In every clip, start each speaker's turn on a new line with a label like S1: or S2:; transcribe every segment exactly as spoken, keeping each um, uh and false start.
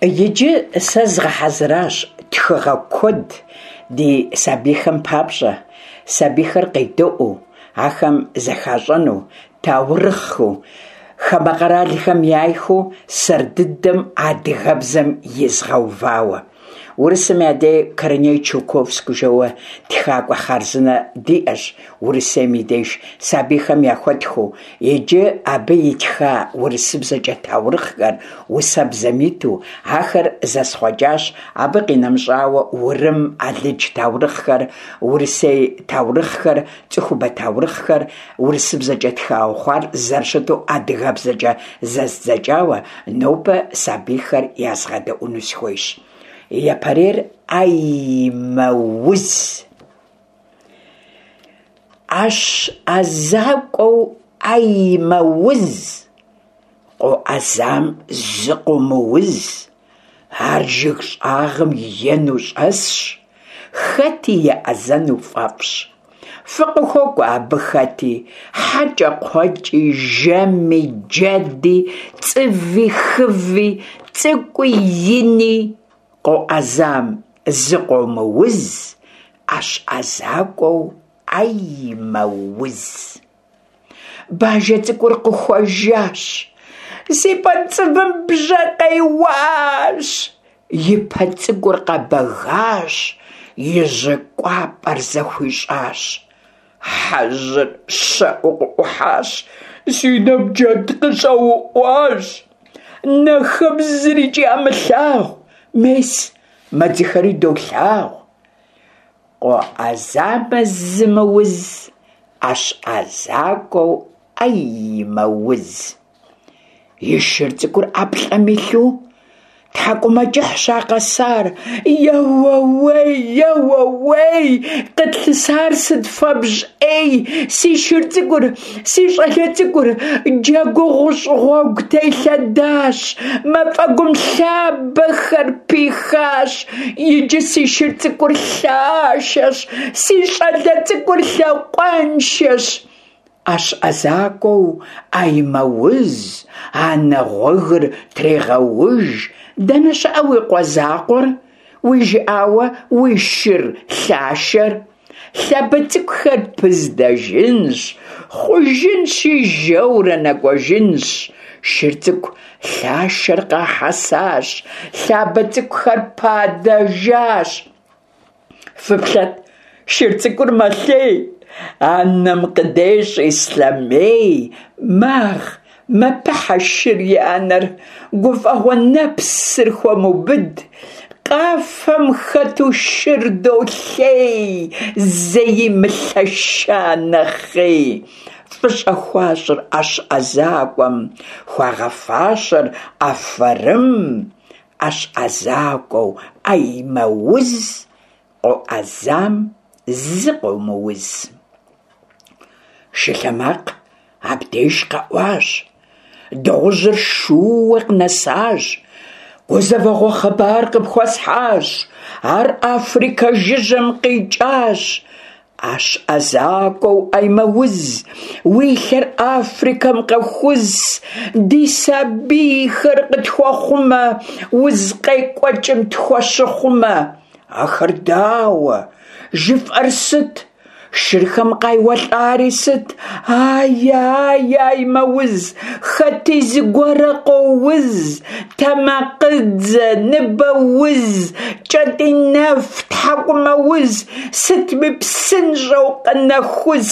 S1: Иджы сэ згъэхьэзыращ тхыгъэ куэд ди сабийхэм папщӏэ, сабийхэр къедэӏуэу, ахэм зэхащӏэну, таурыхъыу, хамэ къэралхэм яйхэу сэр дыдэм адыгэбзэм изгъэувауэ. Урысым я дей Корней Чуковский жэуэ тхакӏуэ хъарзынэ диӏэщ Урысейм и деж сабийхэм яхуэтхэу. Иджы абы итха урысыбзэкӏэ таурыхъхэр усэбзэм иту, ахэр зэсхъуэкӏащ. Абы къинэмыщӏауэ урым, алыдж таурыхъхэр, урысей таурыхъхэр, цӏыхубэ таурыхъхэр урысыбзэкӏэ тхауэ хъуар зэрыщыту адыгэбзэкӏэ зэздзэкӏауэ нобэ сабийхэр язгъэдэӏуну сыхуейщ. Япэрейр «Ӏэймэуз». Ӏэщ ӏэзакӏуэу ӏэймэуз, къоӏэзам зыкъыумыуз. Ар жыг щӏагъым ену щӏэсщ, хэти еӏэзэну фӏэфӏщ. Фыкъыхуокӏуэ абы хэти, хьэкӏэкхъуэкӏи, жэми, джэди, цӏыви, хыви, цӏыкӏуи, ини. Къоӏэзам зыкъомыуз, ӏэщ ӏэзакӏуэу ӏэймэуз. Бажэ цӏыкӏур къыхуэжащ. Си пӏэ цӏывым бжьэ къеуащ. И пэ цӏыкӏур къэбэгащ, и жьы кӏуапӏэр зэхуищӏащ. Хьэжьыр щэӏуу къыӏухьащ. Си нэм джэд къыщӏэуӏуащ. Нэхэм зырикӏ ямылъагъу. Мес, мэдзыхэри долъагъу. Къоӏэзамэ зымыуз, ӏэщ ӏэзакӏуэу ӏэймэуз. И шыр цӏыкӏур ӏэплӏэм илъу, тхьэкӏумэкӏыхьщ а къэсар. Еуэуей, еуэуей, къытлъысар сыт фэбжь ӏей, си шыр цӏыкӏур, си щӏалэ цӏыкӏур джэгуу гъущӏ гъуэгу телъэдащ, мафӏэгум лъабэхэр пихащ. Иджы си шыр цӏыкӏур лъашэщ, си щӏалэ цӏыкӏур лъакъуэншэщ. Ӏэщ ӏэзакӏуэу ӏэймэуз, анэ гъуэгыр трегъэуж. Дэнэ щыӏэ уи къуэ закъуэр, уи жыӏауэ уи шыр лъашэр? Лъабэ цӏыкӏухэр пыздэжынщ, хъужынщи жэурэ нэкӏуэжынщ. Шыр цӏыкӏу лъашэр къахьэсащ, лъабэ цӏыкӏухэр падэжащ. Фыплъэт, шыр цӏыкӏур мэлъей, анэм къыдещӏ ислъэмей. Магъ, мэпыхьэ шыр и анэр, гуфӏэгъуэ нэпсыр хуэмыубыд. Къафэм хэту шыр долъей, зэи мылъэща нэхъей. Фӏыщӏэ хуащӏыр ӏэщ ӏэзакӏуэм, хуагъэфащэр афэрым. Ӏэщ ӏэзакӏуэу ӏэймэуз, къоӏэзам зыкъыумыуз. Шы лъэ макъ абдеж къэӏуащ. Дыгъужьыр шууэ къынэсащ. Гузэвэгъуэ хъыбар къыпхуэсхьащ. Ар Африкэ жыжьэм къикӏащ. Ӏэщ ӏэзакӏуэу ӏэймэуз, уи лъэр Африкэм къэхуз, ди сабийхэр къытхуэхъумэ, уз къекӏуэкӏым тхуэщыхъумэ. Ахэр дауэ? Жыфӏэр сыт? Шырхэм къайуэлӏари сыт? Ай, ай, ӏэймэуз, хэти зыгуэрэ къоуз, тэмакъыдзэ, ныбэуз, кӏэтӏийнэф, тхьэкӏумэуз, сытми псынщӏэу къынэхус,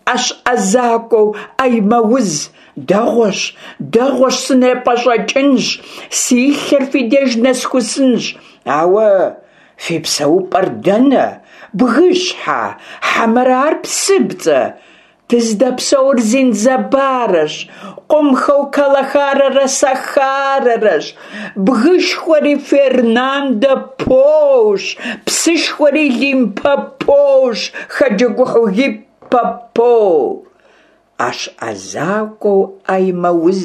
S1: ӏэщ ӏэзакӏуэу ӏэймэуз. Дэгъуэщ, дэгъуэщ, сынепӏэщӏэкӏынщ, си лъэр фи деж нэсхусынщ. Ауэ фи псэупӏэр дэнэ? Бгыщхьэ, хьэмэрэ ар псыпцӏэ? Дыздэпсэур Занзибарщ, къумхэу Калахарэрэ Сахарэрэщ, бгышхуэри Фернандо Пощ, псышхуэри Лимпопощ, хэджэгухьу Гиппопо. Ӏэщ ӏэзакӏуэу ӏэймэуз,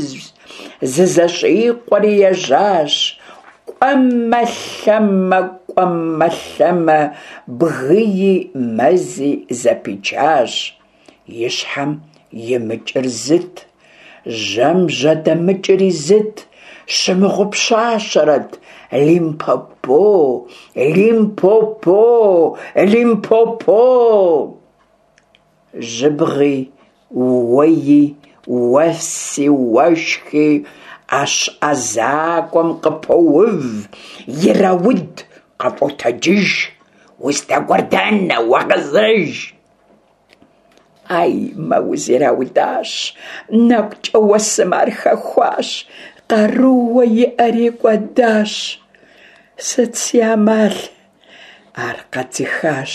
S1: зызэщӏикъуэри ежьащ. Кӏуэмэ-лъэмэ, кӏуэмэ-лъэмэ, бгыи мэзи зэпичащ. И щхьэм имыкӏыр зыт, жьэм жьэдэмыкӏри зыт. Щымыгъупщащэрэт Лимпопо, Лимпопо, Лимпопо! Жьыбгъи, уэи, уэси, уэшхи ӏэщ ӏэзакӏуэм къыпоув, ирауд, къыфӏотэджыж: Уздэкӏуэр дэнэ, уэгъэзэж! Ӏэймэуз ираудащ, нэкӏукӏэ уэсым ар хэхуащ, къарууэ иӏэри кӏуэдащ. Сыт си амал? Ар къэдзыхащ.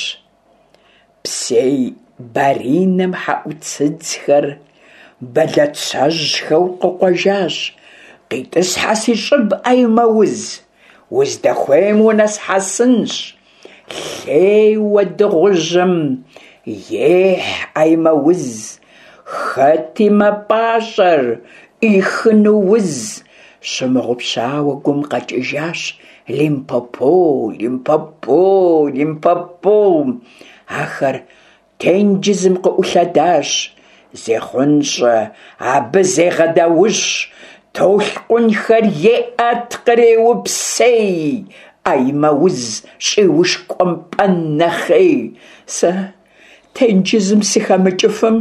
S1: Псей баринэм хьэӏуцыдзхэр бэлацэжьхэу къыкъуэжащ: «КъитӀысхьэ си щӏыб, Ӏэймэуз, уздэхуейм унэсхьэсынщ». Лъейуэ дыгъужьым ехь Ӏэймэуз, хэти мэпӏащӏэр ӏихыну уз. Щымыгъупщауэ гум къэкӏыжащ Лимпопо, Лимпопо, Лимпопо. Ахэр тенджызым къыӏулъэдащ. Зехъунщӏэ, абы зегъэдаущ, толъкъунхэр еӏэт, къреупсей, Ӏэймэуз щӏиушкӏуэмпӏэн нэхъей. Сэ тенджызым сыхэмыкӏыфым,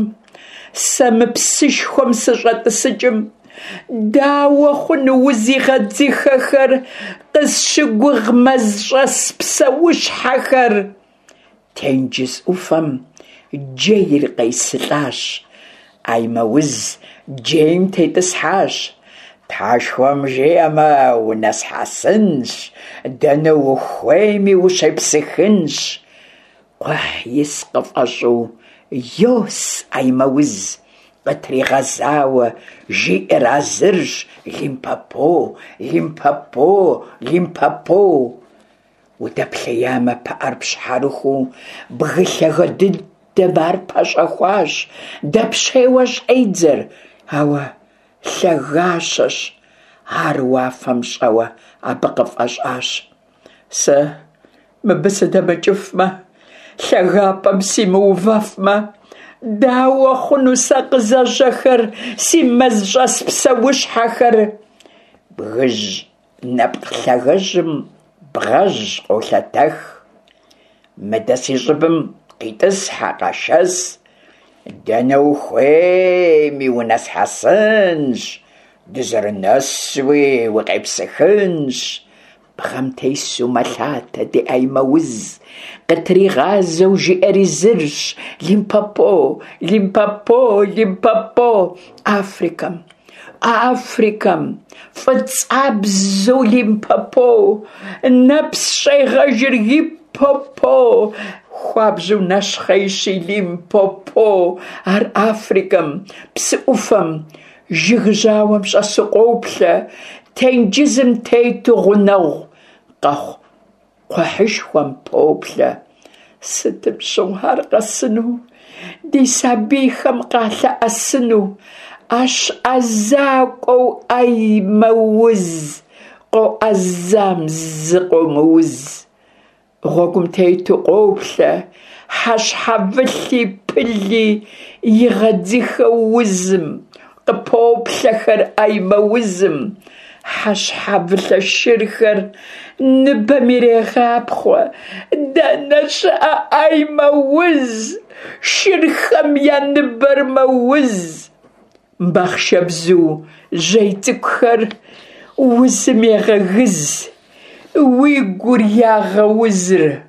S1: сэ мы псышхуэм сыщӏэтӏысыкӏым, дауэ хъуну узигъэдзыхэхэр, къысщыгугъ мэзщӏэс псэущхьэхэр? Тенджыз ӏуфэм джейр къесылӏащ. Ӏэймэуз джейм тетӏысхьащ. Тхьэшхуэм жиӏэмэ, унэсхьэсынщ, дэнэ ухуейми ущепсыхынщ. Кхъухь ис къыфӏэщӏу йос Ӏэймэуз, къытригъэзауэ жиӏэр а зырщ: Лимпопо, Лимпопо, Лимпопо! Удэплъеямэ, пыӏэр пщхьэрыхуу, бгы лъагэ дыдэм ар пэщӏэхуащ, дэпщейуэ щӏедзэр, ауэ лъагащэщ, ар уафэм щӏэуэ абы къыфӏэщӏащ. Сэ мыбы сыдэмыкӏыфмэ, лъагапӏэм симыувэфмэ, дауэ хъуну сэ къызэжьэхэр, си мэзщӏэс псэущхьэхэр? Бгыжь нэпкъ лъагэжьым бгъэжь къолъэтэх. Мыдэ си щӏыбым къитӏысхьэ, къэшэс, дэнэ ухуейми унэсхьэсынщ, дызэрынэсуи укъепсыхынщ. Бгъэм тесу мэлъатэ ди Ӏэймэуз, къытригъазэу жиӏэри зырщ: Лимпопо, Лимпопо, Лимпопо! Африкэм, Африкэм, фӏыцӏабзэу Лимпопо, нэпс щӏегъэжыр Гиппопо, хуабжьу нэщхъейщи Лимпопо. Ар Африкэм, псы ӏуфэм, жыг жьауэм щӏэсу къоплъэ, тенджызым тету гъунэгъу къэхъу кхъухьышхуэм поплъэ. Сытым щыгъуэ ар къэсыну, ди сабийхэм къалъэӏэсыну? Ӏэщ ӏэзакӏуэу Ӏэймэуз, къоӏэзам зыкъомыуз. Гъуэгум тету къоплъэ, хьэщхьэвылъи пыли игъэдзыхэу узым, къыпоплъэхэр Ӏэймэузым. Хьэщхьэвылъэ шырхэр ныбэм ирегъапхъуэ. Дэнэ щыӏэ Ӏэймэуз? Шырхэм я ныбэр мэуз. Бахъшэбзу жьей цӏыкӏухэр узым егъэгыз, уи гур ягъэузыр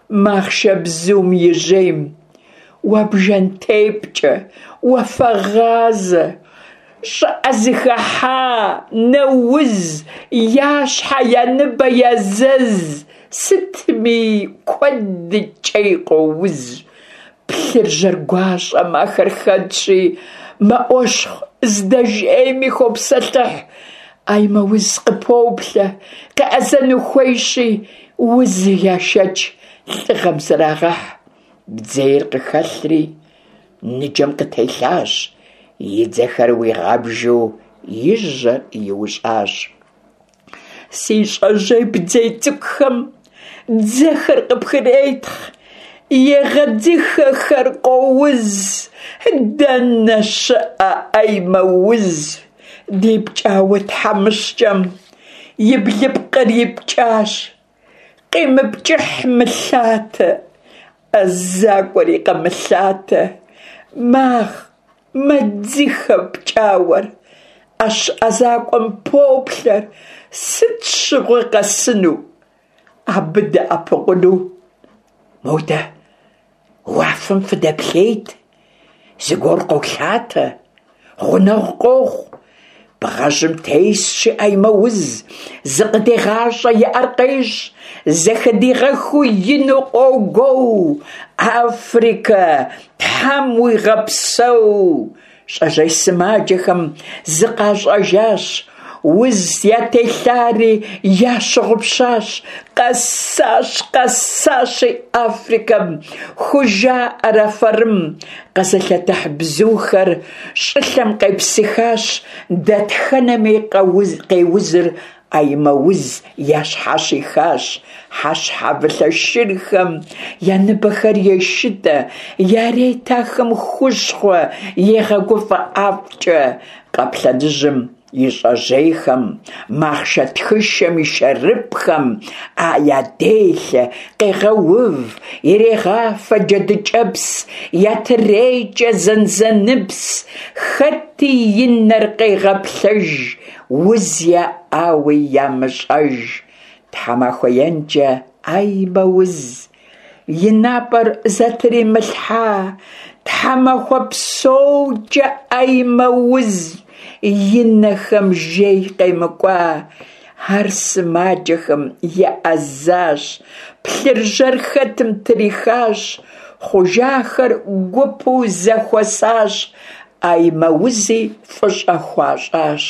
S1: махъшэбзум и жьейм. Уэ бжэнтепкӏэ, уафэгъазэ, щӏыӏэ зыхыхьа, нэуз, я щхьэ, я ныбэ я зэз, сытми куэдыкӏей къоуз. Плъыржьэр гуащӏэм ахэр хэтщи, мэӏуэщхъу, здэжейми хопсэлъыхь. Ӏэймэуз къыпоплъэ, къеӏэзэну хуейщи, узыр яшэч, лӏыгъэм зрагъэхь. Бдзейр къыхэлъри, ныджэм къытелъащ, и дзэхэр уигъэбжу и жьэр иущӏащ. Си щӏэжьей бдзей цӏыкӏухэм дзэхэр къыпхыретхъ, егъэдзыхэхэр къоуз. Дэнэ щыӏэ Ӏэймэуз? Ди пкӏауэ тхьэмыщкӏэм и блыпкъыр ипкӏащ, къимыпкӏыхь мылъатэ, ӏэзакӏуэри къэмылъатэ. Магъ, мэдзыхэ пкӏауэр, ӏэщ ӏэзакӏуэм поплъэр, сыт щыгъуи къэсыну, абы дэӏэпыкъуну. Модэ уафэм фыдэплъейт, зыгуэр къолъатэ, гъунэгъу къохъу. Бгъэжьым тесщи ӏэймэуз, зыкъыдегъащӏэ, и ӏэр къещӏ, зэхыдигъэхыу ину къогуоу. Африкэ, Тхьэм уигъэпсэу! Щӏэжьей сымаджэхэм зыкъащӏэжащ, уз ятелъари ящыгъупщащ. Къэсащ, къэсащи Африкэм, хужаӏэр афэрым. Къэзылъэтыхь бзухэр щӏылъэм къепсыхащ, дэтхэнэми къеузыр ӏэймэуз ящхьэщихащ. Хьэщхьэвылъэ шырхэм я ныбэхэр ешытӏэ, ярет ахэм хущхъуэ, егъэгуфӏэ ӏэфӏкӏэ. Къаплъэныжьым и щӏэжьейхэм, махъшэ тхышэм и шэрыпӏхэм ӏэ яделъэ, къегъэув, ирегъафэ джэдыкӏэпс, ятрекӏэ зэнзэныпс. Хэти и нэр къегъэплъэж, уз яӏауи ямыщӏэж. Тхьэмахуэ енкӏэ ӏэймэуз и напӏэр зэтримылъхьа, тхьэмахуэ псокӏэ ӏэймэуз и нэхэм жей къемыкӏуа. Ар сымаджэхэм еӏэзащ, плъыржьэр хэтым трихащ, хъужахэр гупу зэхуэсащ, ӏэймэузи фӏыщӏэ хуащӏащ.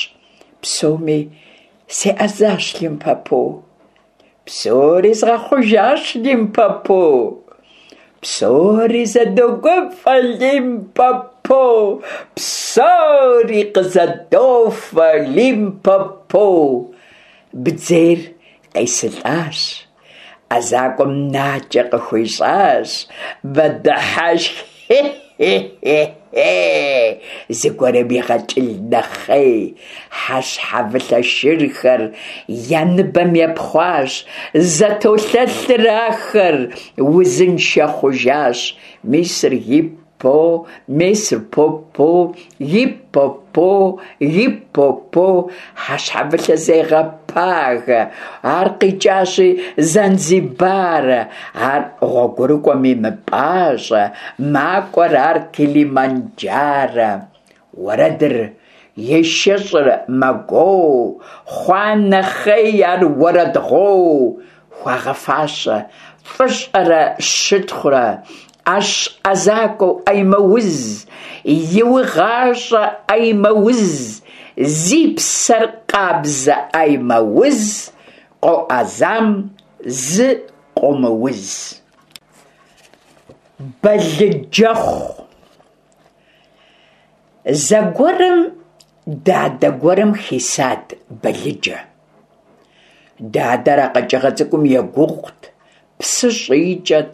S1: Псоми сеӏэзащ, Лимпопо. Псори згъэхъужащ, Лимпопо. Псори зэдогуфӏэ, Лимпопо. Псори къызэдофэ, Лимпопо. Бдзейр къесылӏащ, ӏэзакӏуэм накӏэ къыхуищӏащ, мэдыхьэшх, хе-хе-хе-хе, зыгуэрым игъэкӏыл нэхъей. Хьэщхьэвылъэ шырхэр я ныбэм епхъуащ, зэтолъэлъыр ахэр, узыншэ хъужащ. Мисыр гиппо, месыр попо, гиппопо, гиппопо. Хьэщхьэвылъэ зегъэпагэ, ар къикӏащи Занзибарэ. Ар гъуэгурыкӏуэми мыпӏащӏэ, макӏуэр ар Килиманджарэ. Уэрэдыр ешэщӏыр мэгуоу, хъуа нэхъей ар уэрэдгъуоу. Хуагъэфащэ фӏыщӏэрэ щытхъурэ, ӏэщ ӏэзакӏуэу ӏэймэуз, иугъащӏэ ӏэймэуз, зи псэр къабзэ ӏэймэуз, къоӏэзам зы къомыуз. Балыджэхъу. Зэгуэрым дадэ гуэрым хисат балыджэ. Дадэр а къэкӏыгъэ цӏыкӏум егугъут, псы щӏикӏэт,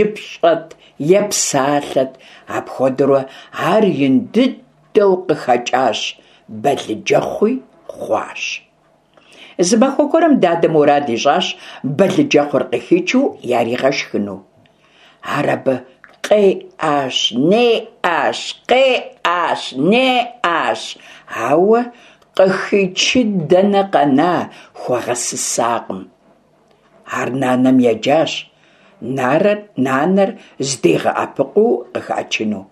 S1: ипщӏэт, епсалъэт. Апхуэдэурэ ар ин дыдэу къыхэкӏащ, балыджэхъуи хъуащ. Зы махуэ гуэрым дадэ мурад ищӏащ балыджэхъур къыхичу яригъэшхыну. Ар абы къеӏащ, неӏащ, къеӏащ, неӏащ, ауэ къыхичын дэнэ къэна, хуэгъэсысакъым. Ар нанэм еджащ, нарэр нанэр здигъэӏэпыкъуу къыхачыну.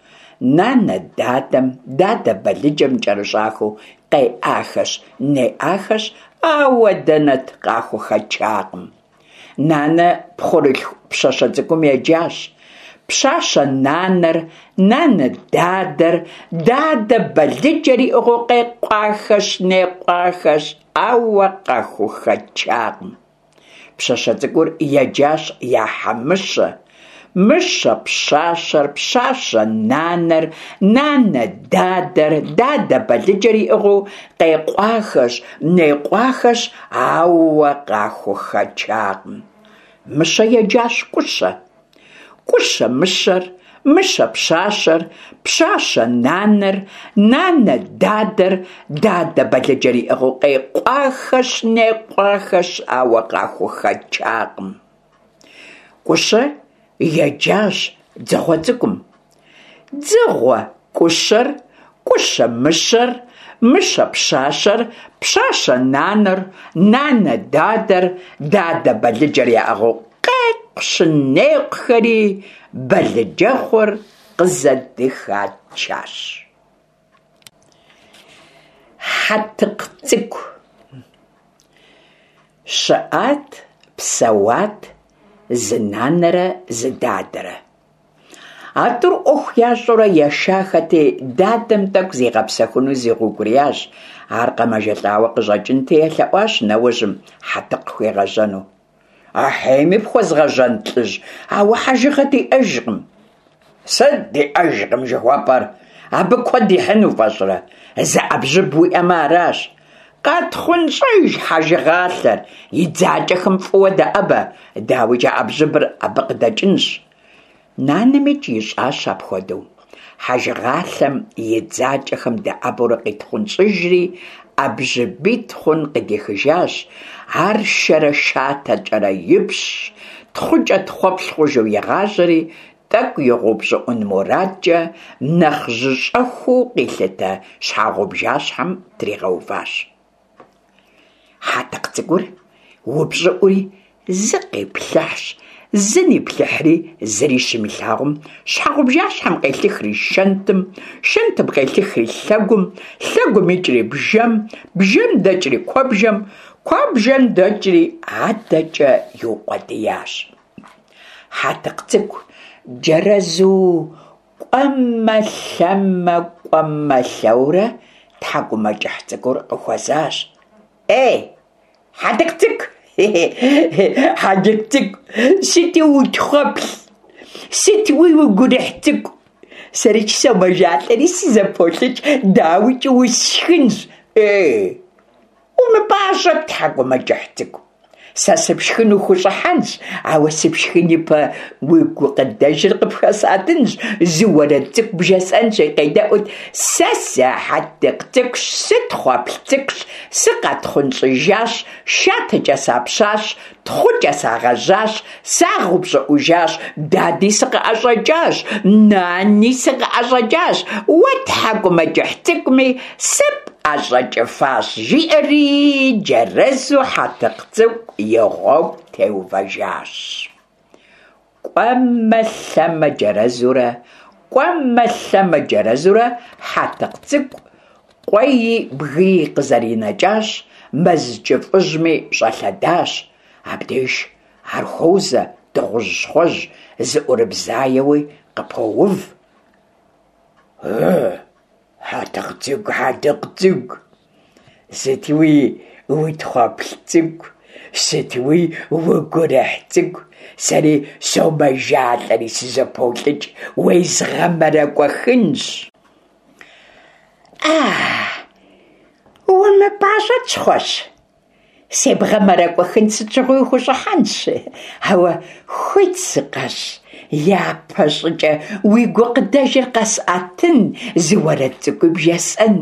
S1: Нанэ дадэм, дадэ балыджэм кӏэрыщӏахэу къеӏахэщ, неӏахэщ, ауэ дэнэт, къахухэчакъым. Нанэ пхъурылъху пщащэ цӏыкӏум еджащ. Пщащэ нанэр, нанэ дадэр, дадэ балыджэр иӏыгъыу къекъуахэщ, некъуахэщ, ауэ къахухэчакъым. Пщащэ цӏыкӏур еджащ я хьэ Мыщэ. Мыщэ пщащэр, пщащэ нанэр, нанэ дадэр, дадэ балыджэр иӏыгъыу къекъуахэщ, некъуахэщ, ауэ къахухэчакъым. Мыщэ еджащ Кӏущэ. Кӏущэ мыщэр, мыщэ пщащэр, пщащэ нанэр, нанэ дадэр, дадэ балыджэр иӏыгъыу къекъуахэщ-некъуахэщ, ауэ къахухэчакъым. Кӏущэ еджащ дзыгъуэ цӏыкӏум. Дзыгъуэ Кӏущэр, Кӏущэ мыщэр, мыщэ пщащэр, пщащэ нанэр, нанэ дадэр, дадэ балыджэр яӏыгъыу къекъущ-некъухэри балыджэхъур къызэдыхачащ. Хьэтыкъ цӏыкӏу. Щыӏат, псэуат зы нанэрэ зы дадэрэ. А тӏур ӏуэху ящӏэурэ ешахэти, дадэм тӏэкӏу зигъэпсэхуну зигъэукӏуриящ. Ар къэмэжэлӏауэ къыщӏэкӏынти, елъэӏуащ нэужьым хьэтыкъ хуигъэжьэну. Ахьейми пхуэзгъэжьэнт, лӏыжь, ауэ хьэжыгъэ диӏэжкъым. Сыт диӏэжкъым жыхуэпӏэр? Абы куэд ихьын уфӏэщӏрэ? Зы ӏэбжьыб уиӏэмэ аращ. Къэтхъунщӏэж хьэжыгъалъэр, и дзакӏэхэм фӏыуэ дэӏэбэ, дауикӏ а ӏэбжьыбыр абы къыдэкӏынщ. Нанэмикӏ ищӏащ апхуэдэу. Хьэжыгъалъэм и дзакӏэхэм дэӏэбэурэ къитхъунщӏыжри, ӏэбжьыбитӏ хъун къыдихыжащ. Ар шэрэ шатэкӏэрэ ипщщ, тхъукӏэ тхъуэплъ хъужу игъажьэри, тӏэкӏу игъэупщӏыӏун мурадкӏэ, нэхъ жьыщӏэхуу къилъытэ щхьэгъубжащхьэм тригъэуващ. Хьэтыкъ цӏыкӏур упщӏыӏури, зы къиплъыхьщ, зы ниплъыхьри, зыри щимылъагъум, щхьэгъубжащхьэм къелъыхри шэнтым, шэнтым къелъыхри лъэгум, лъэгум икӏри бжэм, бжэм дэкӏри куэбжэм, куэбжэм дэкӏри адэкӏэ иукъуэдиящ. Хьэтыкъ цӏыкӏу джэрэзу кӏуэмэ-лъэмэ, кӏуэмэ-лъэурэ тхьэкӏумэкӏыхь цӏыкӏур къыхуэзащ. Эй, Хьэтыкъ цӏыкӏу, Хьэтыкъ цӏыкӏу, сыти утхъуэплъ, сытуи угурыхь цӏыкӏу. Сэрикӏ сомэжалӏэри сызэполӏыкӏ, дауикӏ усшхынщ. Эй, умыпӏащӏэт, тхьэкӏумэкӏыхь цӏыкӏу. Сэ сыпшхыну хущӏыхьэнщ, ауэ сыпшхын ипэ уи гукъыдэжыр къыпхэсӏэтынщ, зы уэрэд цӏыкӏу бжесӏэнщи, къедэӏут. Сэ сы-Хьэтыкъ цӏыкӏущ, сытхъуэплъ цӏыкӏущ, сыкъатхъунщӏыжащ, шатэкӏэ сапщащ, тхъукӏэ сагъэжьащ, сагъэупщӏыӏужащ, дади сыкъыӏэщӏэкӏащ, нани сыкъыӏэщӏэкӏащ, уэ тхьэкӏумэкӏыхь цӏыкӏуми сыпӏэщӏэкӏыфащ, жиӏэри джэрэзу Хьэтыкъ цӏыкӏу и гъуэгу теувэжащ. Кӏуэмэ-лъэмэ джэрэзурэ, кӏуэмэ-лъэмэ джэрэзурэ Хьэтыкъ цӏыкӏу къуэи бгыи къызэринэкӏащ, мэз кӏыфӏыжьми щӏэлъэдащ. Абдеж ар хуозэ дыгъужь щхъуэжь зыӏурыбзаеуи къыпоув. Ы, Хьэтыкъ цӏыкӏу, Хьэтыкъ цӏыкӏу, сытуи утхъуэплъ цӏыкӏу, сытуи угурыхь цӏыкӏу, сэри сомэжалӏэри сызэполӏыкӏ, уезгъэмэрэкӏуэхынщ. А, умыпӏащӏэт, щхъуэжь, себгъэмэрэкӏуэхын сыт щыгъуи ухущӏыхьэнщ, ауэ хуит сыкъэщӏ, япэ щӏыкӏэ уи гукъыдэжыр къэсӏэтын, зы уэрэд цӏыкӏуи бжесӏэн.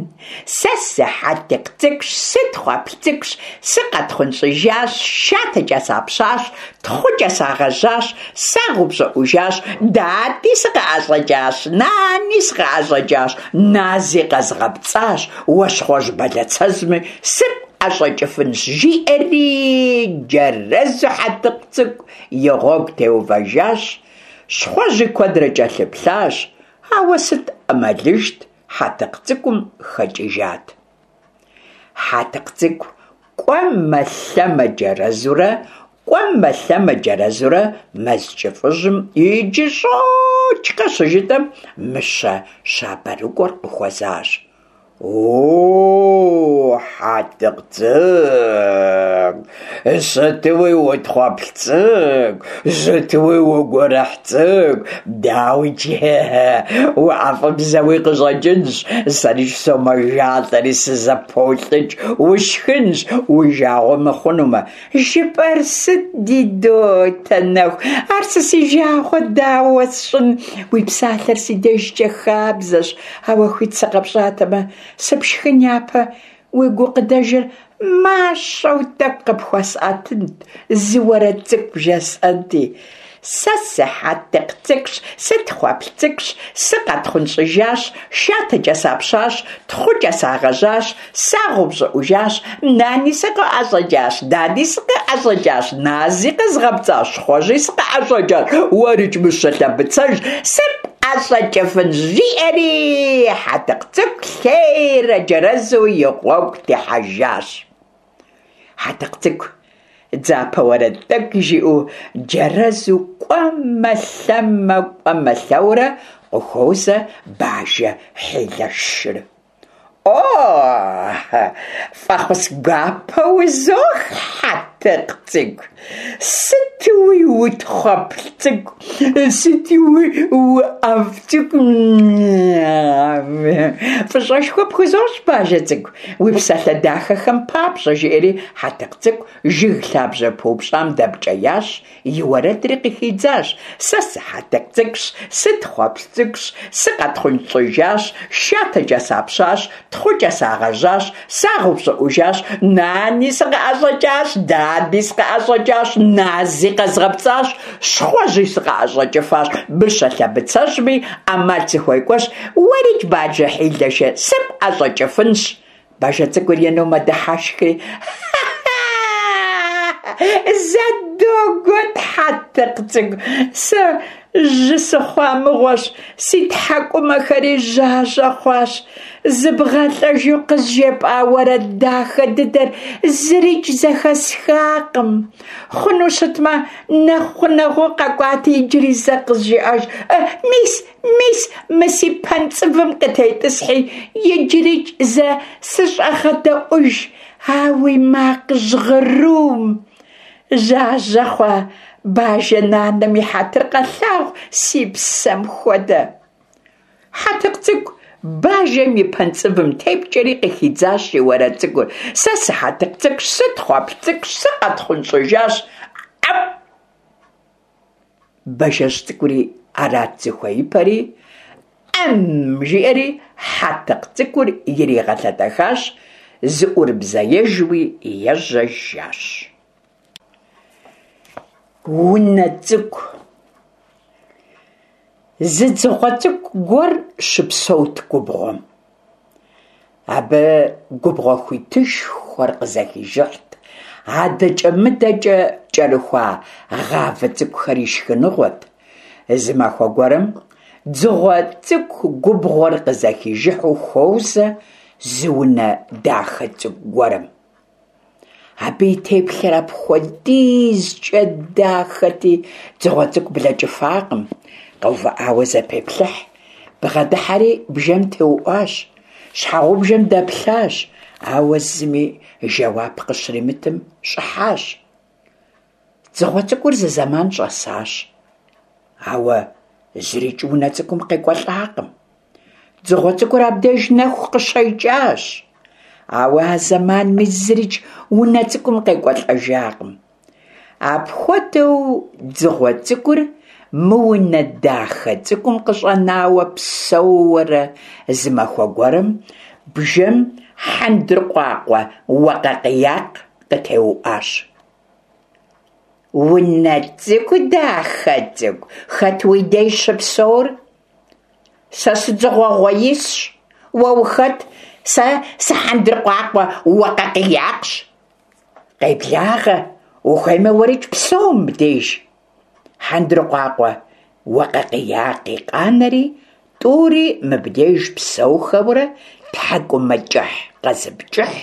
S1: Сэ сы-Хьэтыкъ цӏыкӏущ, сытхъуэплъ цӏыкӏущ, сыкъэтхъунщӏыжащ, шатэкӏэ сапщащ, тхъукӏэ сагъэжьащ, сагъэупщӏыӏужащ, дади сыкъыӏэщӏэкӏащ, нани сыкъыӏэщӏэкӏащ, нази къэзгъэпцӏащ, уэ щхъуэжь бэлацэжьми сыпӏэщӏэкӏыфынщ, жиӏэри джэрэзу Хьэтыкъ цӏыкӏу и гъуэгу теувэжащ. Щхъуэжьи куэдрэ кӏэлъыплъащ, ауэ сыт ӏэмалыжт, Хьэтыкъ цӏыкӏум хэкӏыжат. Хьэтыкъ цӏыкӏу кӏуэмэ-лъэмэ джэрэзурэ, кӏуэмэ-лъэмэ джэрэзурэ мэз кӏыфӏыжьым иджы щӏокӏкъэ щыжытӏэм, мыщэ щабэрыкӏуэр къыхуэзащ. О, Хьэтыкъ цӏыкӏу, Сытуи утхъуэплъ цӏыкӏу, сытуи угурыхь цӏыкӏу, дауикӏ, уӏэфӏыбзэуи къыщӏэкӏынщ, сэрикӏ сомэжалӏэри сызэполӏыкӏ, усшхынщ, уи жагъуэ мыхъунумэ. Жыпӏэр сыт, ди дотэ нэху, ар сэ си жагъуэ дауэ сщӏын, уи псалъэр си дежкӏэ хабзэщ, ауэ хуит сыкъэпщӏатэмэ, сыпшхын япэ уи гукъыдэжыр мащӏэу тӏэкӏу къыпхуэсӏэтынт, зы уэрэд цӏыкӏу бжесӏэнти. Сэ сы-Хьэтыкъ цӏыкӏущ, сытхъуэплъ цӏыкӏущ, сыкъэтхъунщӏыжащ, шатэкӏэ сапщащ, тхъукӏэ сагъэжьащ, сагъэупщӏыӏужащ, нани сыкъыӏэщӏэкӏащ, дади сыкъыӏэщӏэкӏащ, нази къэзгъэпцӏащ, щхъуэжьи сыкъыӏэщӏэкӏащ, уэрикӏ мыщэ лъэбыцэжь сыпӏэщӏэкӏыфынщ, жиӏэри Хьэтыкъ цӏыкӏу лъейрэ джэрэзу и гъуэгу техьэжащ. Хьэтыкъ цӏыкӏу дзапэ уэрэд тӏэкӏу жиӏэу джэрэзу кӏуэмэ-лъэмэ, кӏуэмэ-лъэурэ къыхуозэ бажэ хьилэшыр. О, фӏэхъус гуапэ узох, Хьэтыкъ цӏыкӏу! Сытуи утхъуэплъ цӏыкӏу, сытуи уӏэфӏ цӏыкӏу! Фӏыщӏэшхуэ пхузощӏ, бажэ цӏыкӏу, уи псалъэ дахэхэм папщӏэ, жиӏэри Хьэтыкъ цӏыкӏу жыг лъабжьэ пыупщӏам дэпкӏеящ, и уэрэдри къыхидзащ. Сэ сы-Хьэтыкъ цӏыкӏущ, сытхъуэплъ цӏыкӏущ, сыкъэтхъунщӏыжащ, шатэкӏэ сапщащ, тхъукӏэ сагъэжьащ, сагъэупщӏыӏужащ, нани сыкъыӏэщӏэкӏащ, дади сыкъыӏэщӏэкӏащ, нази къэзгъэпцӏащ, щхъуэжьи сыкъыӏэщӏэкӏыфащ, мыщэ лъэбыцэжьми ӏэмал сыхуекӏуэщ, уэрикӏ бажэ хьилэшыр сыпӏэщӏэкӏыфынщ. Бажэ цӏыкӏур ину мэдыхьэшхри, зэ догуэт, Хьэтыкъ цӏыкӏу, сэ жьы сыхъуа мыгъуэщ, си тхьэкӏумэхэри жьажьэ хъуащ. Зыбгъэлӏэжу къызжепӏа уэрэд дахэ дыдэр зырикӏ зэхэсхакъым. Хъуну щытмэ, нэхъ гъунэгъуу къэкӏуати иджыри зэ къызжеӏэж. Мис, мис, мы си пэнцӏывым къытетӏысхьи, иджырикӏ зэ сыщӏэгъэдэӏуж а уи макъ жьгъырум. Жьажьэ хъуа бажэ нанэм и хьэтыр къэлъагъу си псэм хуэдэ. Хьэтыкъ цӏыкӏу бажэм и пэнцӏывым тепкӏэри къыхидзащ и уэрэд цӏыкӏур. Сэ сы-Хьэтыкъ цӏыкӏущ, сытхъуэплъ цӏыкӏущ, сыкъэтхъунщӏыжащ. Ӏэп! Бажэжь цӏыкӏури арат зыхуеипэри, ӏэм жиӏэри Хьэтыкъ цӏыкӏур иригъэлъэтэхащ, зыӏурыбзэежуи ежьэжащ. Унэ цӏыкӏу. Зы дзыгъуэ цӏыкӏу гуэр щыпсэут губгъуэм. Абы губгъуэ хуитышхуэр къызэхижыхьт, адэкӏэ-мыдэкӏэ кӏэрыхуа гъавэ цӏыкӏухэр и шхыныгъуэт. Зы махуэ гуэрым дзыгъуэ цӏыкӏу губгъуэр къызэхижыхьу хуозэ зы унэ дахэ цӏыкӏу гуэрым. Абы и теплъэр апхуэдизкӏэ дахэти, дзыгъуэ цӏыкӏу блэкӏыфакъым, къэувыӏауэ зэпеплъыхь. Бгъэдыхьэри бжэм теуӏуащ, щхьэгъубжэм дэплъащ, ауэ зыми жэуап къыщримытым щӏыхьащ. Дзыгъуэ цӏыкӏур зы зэман щӏэсащ, ауэ зырикӏ унэ цӏыкӏум къекӏуэлӏакъым. Дзыгъуэ цӏыкӏур абдеж нэху къыщекӏащ, ауэ а зэманми зырикӏ унэ цӏыкӏум къекӏуэлӏэжакъым. Апхуэдэу дзыгъуэ цӏыкӏур мы унэ дахэ цӏыкӏум къыщӏэнауэ псэууэрэ зы махуэ гуэрым бжэм хьэндыркъуакъуэ уэкъэкъиякъ къытеуӏуащ. Унэ цӏыкӏу дахэ цӏыкӏу, хэт уи деж щыпсэур? Сэ сыдзыгъуэ гъуэисщ, уэ ухэт? Сэ сыхьэндыркъуакъуэ уэкъэкъиякъщ. Къеблагъэ, ухуеймэ уэрикӏ псэу мыбдеж. Хьэндыркъуакъуэ уэкъэкъиякъи къанэри, тӏури мыбдеж псэухэурэ тхьэкӏумэкӏыхь къэзыпкӏыхь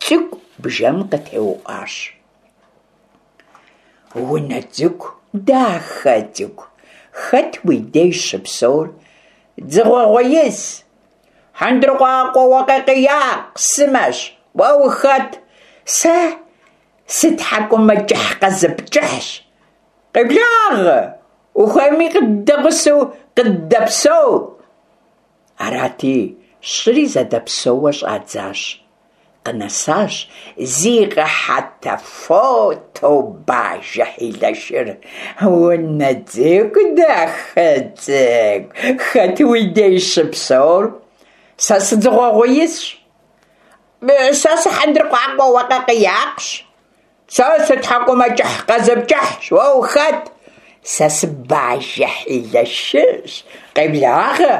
S1: цӏыкӏу бжэм къытеуӏуащ. Унэ цӏыкӏу дахэ цӏыкӏу, хэт уи деж щыпсэур? Дзыгъуэ гъуэис, хьэндыркъуакъуэ уэкъэкъиякъ сымэщ, уэ ухэт? Сэ Сытхьэкӏумэкӏыхь къэзыпкӏыхьщ. Къеблагъэ, ухуейми къыддэгъусэу къыддэпсэу. Арати, щыри зэдэпсэууэ щӏадзащ. Къынэсащ зи къэхьэтэфотэу бажэ хьилэшыр. Унэ цӏыкӏу, дахэ цӏыкӏу, хэт уи деж щыпсэур? Сэ сыдзыгъуэгъуеисщ. Сэ сыхьэндыркъуакъуэ уэкъэкъиякъщ. Сэ сытхьэкӏумэкӏыхь къэзыпкӏыхьщ. Уэ ухэт? Сэ сыбажэ хьилэшыщ. Къеблагъэ,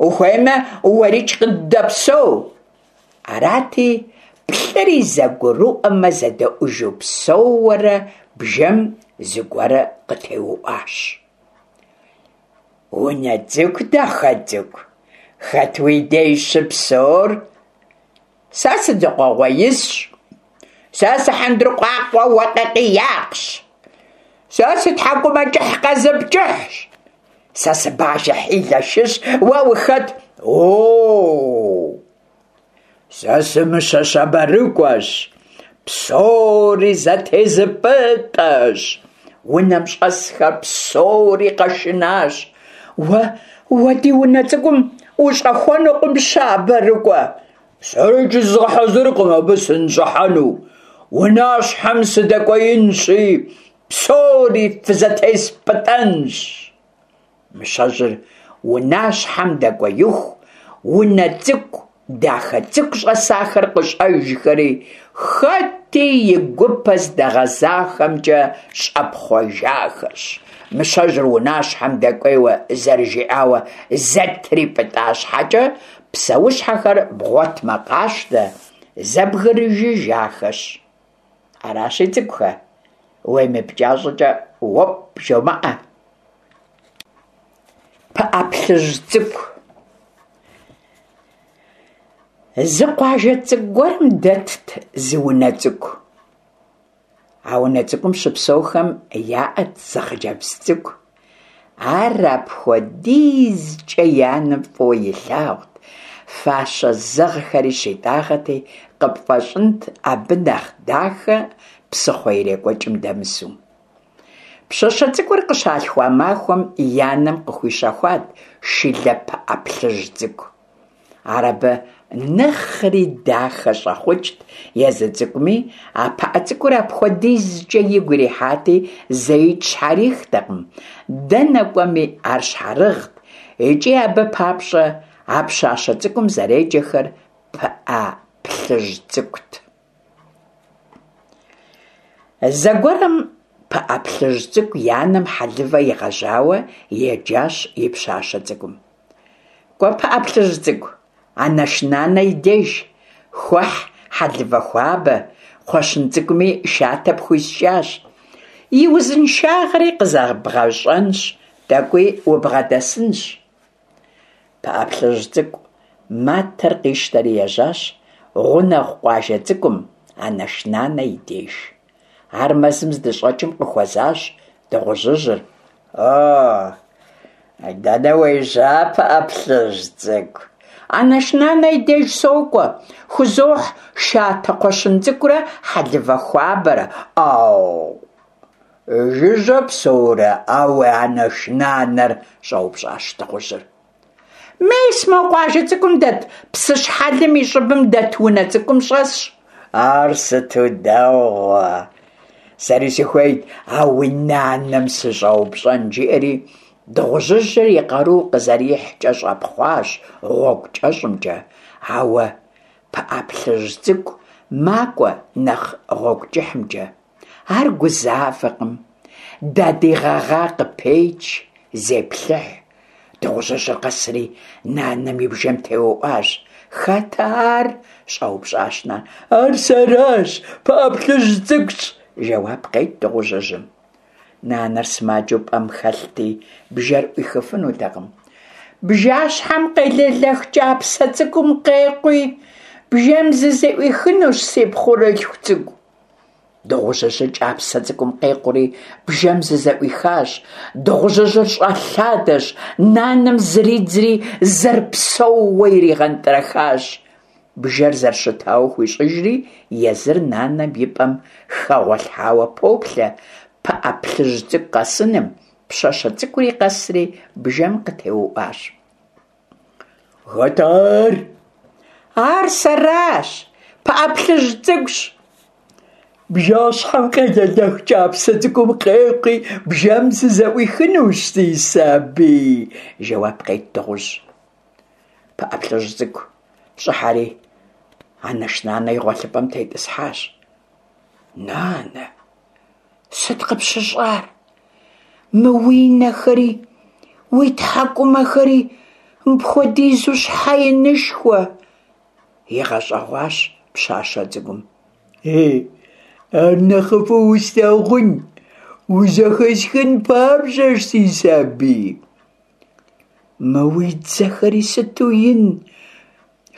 S1: ухуеймэ, уэрикӏ къыддэпсэу. Арати, плӏыри зэгурыӏуэмэ зэдэӏужу псэууэрэ, бжэм зыгуэр къытеуӏуащ. Унэ цӏыкӏу, дахэ цӏыкӏу, хэт уи деж щыпсэур? Сэ сыдзыгъуэгъуеисщ. Сэ сыхьэндыркъуакъуэ уэкъэкъиякъщ. Сэ сытхьэкӏумэкӏыхь къэзыпкӏыхьщ. Сэ сыбажэ хьилэшыщ. Уэ ухэт? О, сэ сымыщэ щабэрыкӏуэщ, псори зэтезыпӏытӏэщ. Унэм щӏэсхэр псори къэшынащ. Уэ, уэ ди унэ цӏыкӏум ущӏэхуэнукъым, щабэрыкӏуэ. Сэрикӏ зызгъэхьэзыркъым абы сыныщӏыхьэну. Унащхьэм сыдэкӏуеинщи, псори фызэтеспӏытӏэнщ. Мыщэжьыр унащхьэм дэкӏуеиху, унэ цӏыкӏу, дахэ цӏыкӏу щӏэсахэр къыщӏэжхэри, хэти и гупэ здэгъэзахэмкӏэ щӏэпхъуэжахэщ. Мыщэжьыр унащхьэм дэкӏуейуэ зэрыжиӏауэ зэтрипӏытӏа щхьэкӏэ, псэущхьэхэр бгъуэтмэ къащтэ, зэбгрыжыжахэщ. Аращи, цӏыкӏухэ, уемыпкӏа щӏыкӏэ уопӏ жомыӏэ. Пыӏэ плъыжь цӏыкӏу. Зы къуажэ цӏыкӏу гуэрым дэтт зы унэ цӏыкӏу. А унэ цӏыкӏум щыпсэухэм яӏэт зы хъыджэбз цӏыкӏу. Ар апхуэдизкӏэ и анэм фӏыуэ илъагъут, фащэ зэгъхэри щитӏагъэти, къыпфӏэщӏынт абы нэхъ дахэ псыхъуэ ирекӏуэкӏым дэмысу. Пщащэ цӏыкӏур къыщалъхуа махуэм и анэм къыхуищэхуат шылэ пыӏэ плъыжь цӏыкӏу. Ар абы нэхъри дахэ щӏэхъукӏт, езы цӏыкӏуми а пыӏэ цӏыкӏур апхуэдизкӏэ игу ирихьати, зэикӏ щхьэрихтэкъым, дэнэ кӏуэми ар щхьэрыгът, икӏи абы папщӏэ а пщащэ цӏыкӏум зэреджэхэр пыӏэ плъыжь цӏыкӏут. Зэгуэрым пыӏэ плъыжь цӏыкӏу и анэм хьэлывэ игъэжьауэ еджащ и пщащэ цӏыкӏум. Кӏуэ, пыӏэ плъыжь цӏыкӏу, анэш нанэ и деж, хуэхь хьэлывэ хуабэ, кхъуэщын цӏыкӏуми шатэ пхуискӏащ. И узыншагъэри къызэбгъэщӏэнщ, тӏэкӏуи убгъэдэсынщ. Пыӏэ плъыжь цӏыкӏу матэр къищтэри ежьащ гъунэгъу къуажэ цӏыкӏум, анэш нанэ и деж. Ар мэзым здыщӏэкӏым къыхуэзащ дыгъужьыжьыр. О, дэнэ уежьа, пыӏэ плъыжь цӏыкӏу? Анэш нанэ и деж сокӏуэ, хузохь шатэ кхъуэщын цӏыкӏурэ хьэлывэ хуабэрэ. Ау, жыжьэ псэурэ а уи анэш нанэр? щӏэупщӏащ дыгъужьыр. Мес мо къуажэ цӏыкӏум дэт псыщхьэлым и щӏыбым дэт унэ цӏыкӏум щӏэсщ. Ар сыту дэгъуэ! Сэри сыхуейт а уи нанэм сыщӏэупщӏэн, жиӏэри дыгъужьыжьыр и къару къызэрихькӏэ щӏэпхъуащ гъуэгу кӏэщӏымкӏэ, ауэ пыӏэ плъыжь цӏыкӏу макӏуэ нэхъ гъуэгу кӏыхьымкӏэ. Ар гузавэкъым, дадий гъэгъа къыпеч, зеплъыхь. Дыгъужьыжьыр къэсри нанэм и бжэм теуӏуащ. Хэт ар? щӏэупщӏащ нанэр. Ар сэращ, пыӏэ плъыжь цӏыкӏущ, жэуап къет дыгъужьыжьым. Нанэр сымаджэу пӏэм хэлъти, бжэр ӏуихыфынутэкъым. Бжащхьэм къелэлэх кӏапсэ цӏыкӏум къекъуи, бжэм зызэӏуихынущ, си пхъурылъху цӏыкӏу. Дыгъужьыжьыр кӏапсэ цӏыкӏум къекъури, бжэм зызэӏуихащ. Дыгъужьыжьыр щӏэлъадэщ, нанэм зридзри зэрыпсэууэ иригъэнтӏрэхащ. Бжэр зэрыщытауэ хуищӏыжри, езыр нанэм и пӏэм хэгъуэлъхьауэ поплъэ Пыӏэ Плъыжь цӏыкӏу къэсыным. Пщащэ цӏыкӏури къэсри бжэм къытеуӏуащ. Хэт ар? Ар сэращ, Пыӏэ Плъыжь цӏыкӏущ. Бжащхьэм къелэлэх кӏапсэ цӏыкӏум къекъуи, бжэм сызэӏуихынущ, си сабий, жэуап къет дыгъужь. Пыӏэ Плъыжь цӏыкӏу щӏыхьэри анэш нанэ и гъуэлъыпӏэм тетӏысхьащ. Нанэ, сыт къыпщыщӏар? Мы уи нэхэри, уи тхьэкӏумэхэри мыпхуэдизу щхьэ инышхуэ? Игъэщӏэгъуащ пщащэ цӏыкӏум. Ей, ар нэхъыфӏу услъагъун, узэхэсхын папщӏэщ, си сабий. Мы уи дзэхэри сыту ин,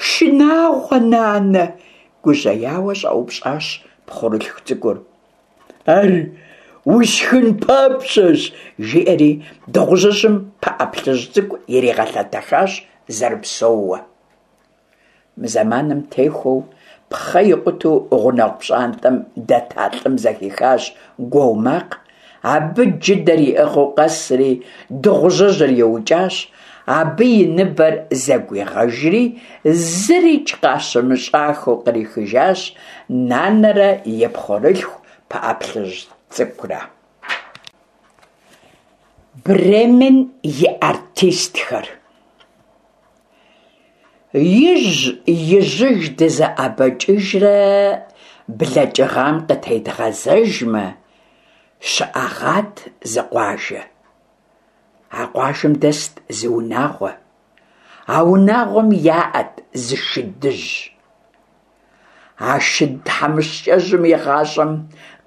S1: шынагъуэ, нанэ, гужьеяуэ щӏэупщӏащ пхъурылъху цӏыкӏур. Ар усшхын папщӏэщ, жиӏэри дыгъужьыжьым Пыӏэ Плъыжь цӏыкӏу иригъэлъэтэхащ зэрыпсэууэ. Мы зэманым техуэу пхъэ икъутэу гъунэгъу пщӏантӏэм дэта лӏым зэхихащ гуо макъ. Абы джыдэр иӏыгъыу къэсри дыгъужьыжьыр иукӏащ, абы и ныбэр зэгуигъэжри, зырикӏ къащымыщӏахэу кърихыжащ нанэрэ и пхъурылъху Пыӏэ Плъыжь цӏыкӏурэ. Бремен и артистхэр. Ижь-ижьыж дызэӏэбэкӏыжрэ блэкӏыгъам къытедгъэзэжмэ, щыӏэгъат зы къуажэ. А къуажэм дэст зы унагъуэ. А унагъуэм яӏэт зы шыдыжь. А шыд тхьэмыщкӏэжьым и гъащӏэм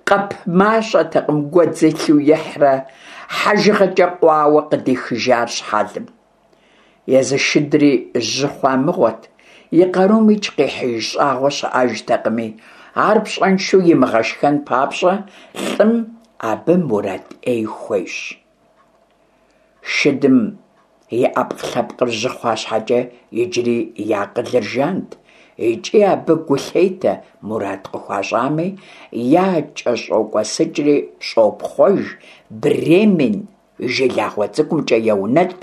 S1: къэп мащӏэтэкъым гуэдз илъу ихьрэ хьэжыгъэкӏэ къуауэ къыдихыжар щхьэлым. Езы шыдри жьы хъуа мыгъуэт, и къарум икӏ къихьыж щӏагъуэ щыӏэжтэкъыми, ар пщӏэншэу имыгъэшхэн папщӏэ лӏым абы мурад ӏей хуещӏ. Шыдым и ӏэпкълъэпкъыр жьы хъуа щхьэкӏэ иджыри и акъылыр жант, икӏи абы гу лъетэ мурад къыхуащӏами, якӏэщӏокӏуэсыкӏри щӏопхъуэж, Бремен жылагъуэ цӏыкӏумкӏэ еунэтӏ,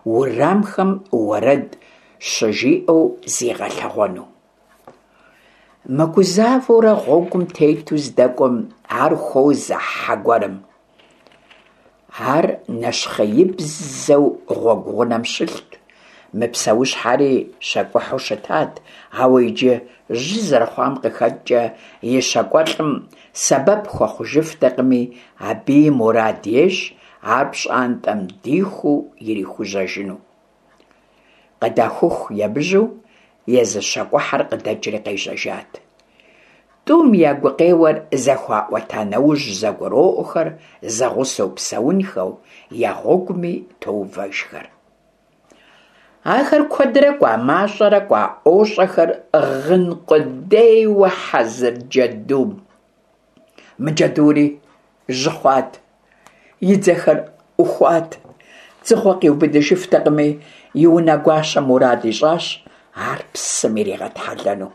S1: уэрамхэм уэрэд щыжиӏэу зигъэлъэгъуэну. Мыгузавэурэ гъуэгум тету здэкӏуэм, ар хуозэ хьэ гуэрым. Ар нэщхъеибзэу гъуэгу гъунэм щылът. Мы псэущхьэри щакӏухьу щытат, ауэ иджы жьы зэрыхъуам къыхэкӏкӏэ и щакӏуэлӏым сэбэп хуэхъужыфтэкъыми, абыи мурад ещӏ ар пщӏантӏэм дихуу ирихужьэжыну. Къыдахуху емыжьэу езы щакӏухьэр къыдэкӏри къежьэжат. Тӏум я гукъеуэр зэхуаӏуэта нэужь зэгуроӏуэхэр зэгъусэу псэунхэу, я гъуэгуми тоувэжхэр. Ахэр куэдрэ кӏуа, мащӏэрэ кӏуа, ӏуощӏэхэр гъын къудейуэ хьэзыр джэдум. Мы джэдури жьы хъуат, и дзэхэр ӏухуат, дзыгъуэ къиубыдыжыфтэкъыми, и унэгуащэм мурад ищӏащ ар псым иригъэтхьэлэну.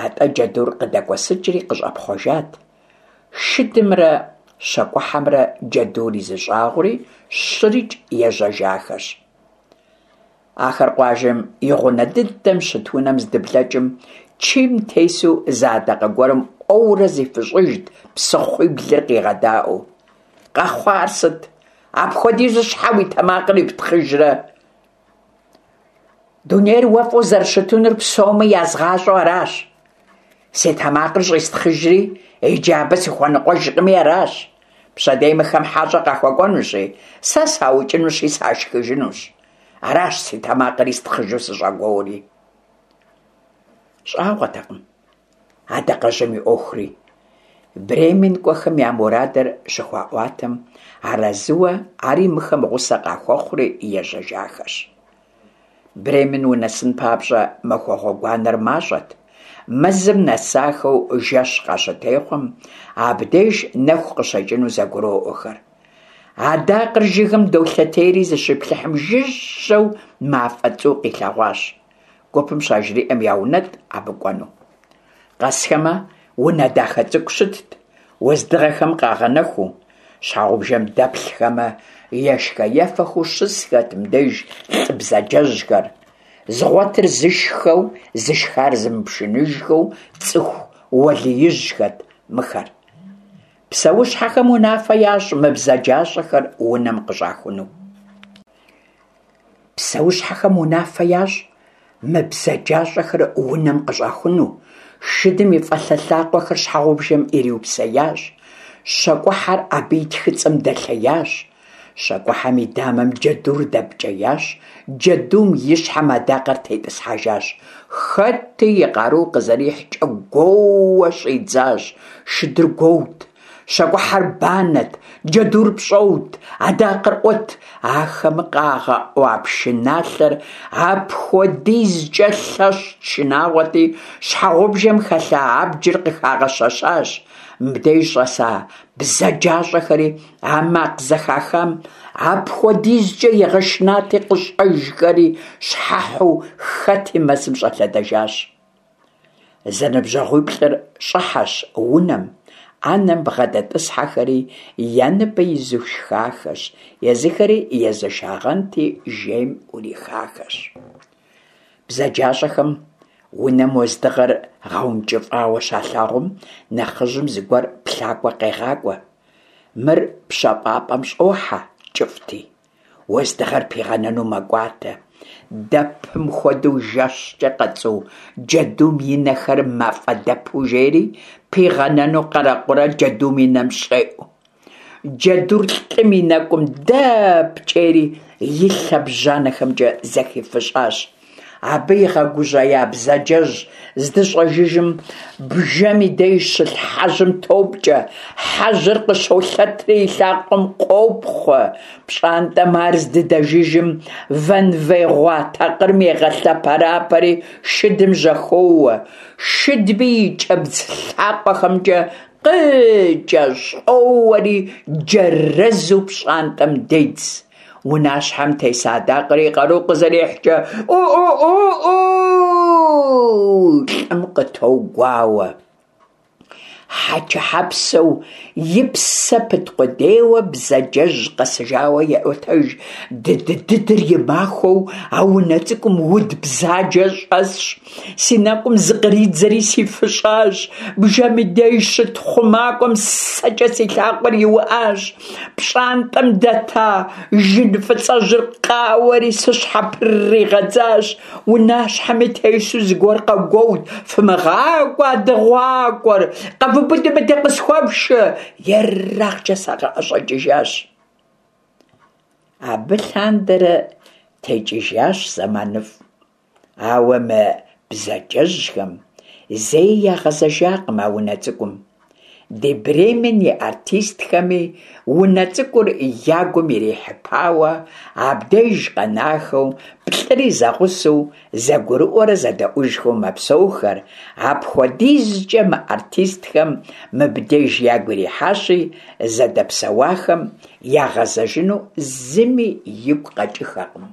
S1: Атӏэ джэдур къыдэкӏуэсыкӏри къыщӏэпхъуэжат. Шыдымрэ щакӏухьэмрэ джэдури зыщӏагъури щырикӏ ежьэжахэщ. Ахэр къуажэм и гъунэ дыдэм щыт унэм здыблэкӏым, чийм тесу зы адакъэ гуэрым ӏуэурэ зифыщӏыжт, псыхъуиблыр къигъэдаӏуэу. Къэхъуар сыт? Апхуэдизу щхьэ уи тэмакъыр иптхъыжрэ? Дунейр уэфӏу зэрыщытынур псоми язгъащӏэу аращ. Си тэмакъыр щӏистхъыжри, иджы абы сыхуэныкъуэжкъыми аращ. Пщэдей мыхэм хьэщӏэ къахуэкӏуэнущи, сэ саукӏынущи сашхыжынущ. Аращ си тэмакъыр истхъыжу сыщӏэгуори. Щӏагъуэтэкъым адакъэжьым и ӏуэхури. Бремен кӏуэхэм я мурадыр щыхуаӏуатэм, арэзыуэ ари мыхэм гъусэ къахуэхъури ежьэжахэщ. Бремен унэсын папщӏэ махуэ гъуэгуанэр мащӏэт. Мэзым нэсахэу жэщ къащытехъуэм, абдеж нэху къыщекӏыну зэгуроӏуэхэр. Адакъэр жыгым долъэтейри зыщиплъыхьым жыжьэу мафӏэ цӏу къилъэгъуащ. гупым щажриӏэм, яунэтӏ абы кӏуэну. Къэсхэмэ, унэ дахэ цӏыкӏу щытт, уэздыгъэхэм къагъэнэхуу. Щхьэгъубжэм дэплъхэмэ, ешхэ-ефэхэу щысхэт мыбдеж лӏы бзаджэжьхэр. Зыгъуэтыр зышххэу, зышхар зымыпшыныжхэу цӏыху уэлиижьхэт мыхэр. Псэущхьэхэм унафэ ящӏ мы бзаджащӏэхэр унэм къыщӏахуну. Псэущхьэхэм унафэ ящӏ мы бзаджащӏэхэр унэм къыщӏахуну. Шыдым и фӏалъэ лъакъуэхэр щхьэгъубжэм ириупсеящ. Щакӏухьэр абы и тхыцӏэм дэлъеящ. Щакӏухьэм и дамэм джэдур дэпкӏеящ, джэдум и щхьэм адакъэр тетӏысхьэжащ. Хэти и къару къызэрихькӏэ гуоууэ щӏидзащ. Шыдыр гуоут, щакӏухьэр банэт, джэдур пщӏэут, адакъэр ӏуэт. Ахэм къагъэӏуа пшыналъэр апхуэдизкӏэ лъэщт, шынагъуэти, щхьэгъубжэм хэлъа абджыр къыхагъэщэщащ. Мыбдеж щӏэса бзаджащӏэхэри а макъ зэхахам апхуэдизкӏэ игъэшынати, къыщӏэжхэри щхьэхьу хэти мэзым щӏэлъэдэжащ. Зэныбжьэгъуиплӏыр щӏыхьэщ унэм, ӏэнэм бгъэдэтӏысхьэхэри я ныбэ изу шхахэщ, езыхэри езэшагъэнти, жейм ӏурихахэщ. Бзаджащӏэхэм унэм уэздыгъэр гъэункӏыфӏауэ щалъагъум, нэхъыжьым зыгуэр плъакӏуэ къегъакӏуэ. Мыр пщэфӏапӏэм щӏохьэ, кӏыфӏти, уэздыгъэр пигъэнэну мэкӏуатэ. Дэпым хуэдэу жэщкӏэ къэцӏу джэдум и нэхэр мафӏэ дэпу жери, пигъэнэну къэрэкъурэ джэдум и нэм щӏеӏу. Джэдур лӏым и нэкӏум дэпкӏейри и лъэбжьанэхэмкӏэ зэхифыщӏащ. Абы игъэгужьея бзаджэжь здыщӏэжыжым бжэм и деж щылъ хьэжьым топкӏэ, хьэжьыр къыщолъэтри и лъакъуэм къопхъуэ. Пщӏантӏэм ар здыдэжыжым вэнвей гъуа такъырым егъэлъэпэрапэри шыдым жьэхоуэ. Шыдми и кӏэбдз лъакъуэхэмкӏэ къыкӏэщӏоуэри джэрэзу пщӏантӏэм дедз. Унащхьэм теса адакъэр и къару къызэрихькӏэ ӏу-ӏу-ӏу-ӏу лӏым къытогуауэ. Хьэчэхьэпсэу и псэ пыт къудейуэ бзаджэжь къэсыжауэ еӏуэтэж. Дыдыдыдыр и махуэу а унэ цӏыкӏум уд бзаджэ щӏэсщ. Си нэкӏум зыкъридзэри сифыщӏащ. Бжэм и деж щыт хъумакӏуэм сэкӏэ си лъакъуэр иуӏащ. Пщӏантӏэм дэта жын фӏыцӏэжьыр къауэри сыщхьэпригъэдзащ. Унащхьэми тесу зыгуэр къэгуоут: «Фымыгъакӏуэ а дыгъуакӏуэр, къэвубыди мыдэ къысхуэфшэ!» Ерагъкӏэ сакъыӏэщӏэкӏыжащ. Абы лъандэрэ текӏыжащ зэманыфӏ. Ауэ мы бзаджэжьхэм зэи ягъэзэжакъым а унэ цӏыкӏум. Ди Бремен и артистхэми унэ цӏыкӏур я гум ирихьыпауэ, абдеж къэнахэу, плӏыри зэгъусэу, зэгурыӏуэрэ зэдэӏужхэу мэпсэухэр. Апхуэдизкӏэ мы артистхэм мыбдеж ягу ирихьащи, зыдэпсэуахэм ягъэзэжыну зыми игу къэкӏыххэкъым.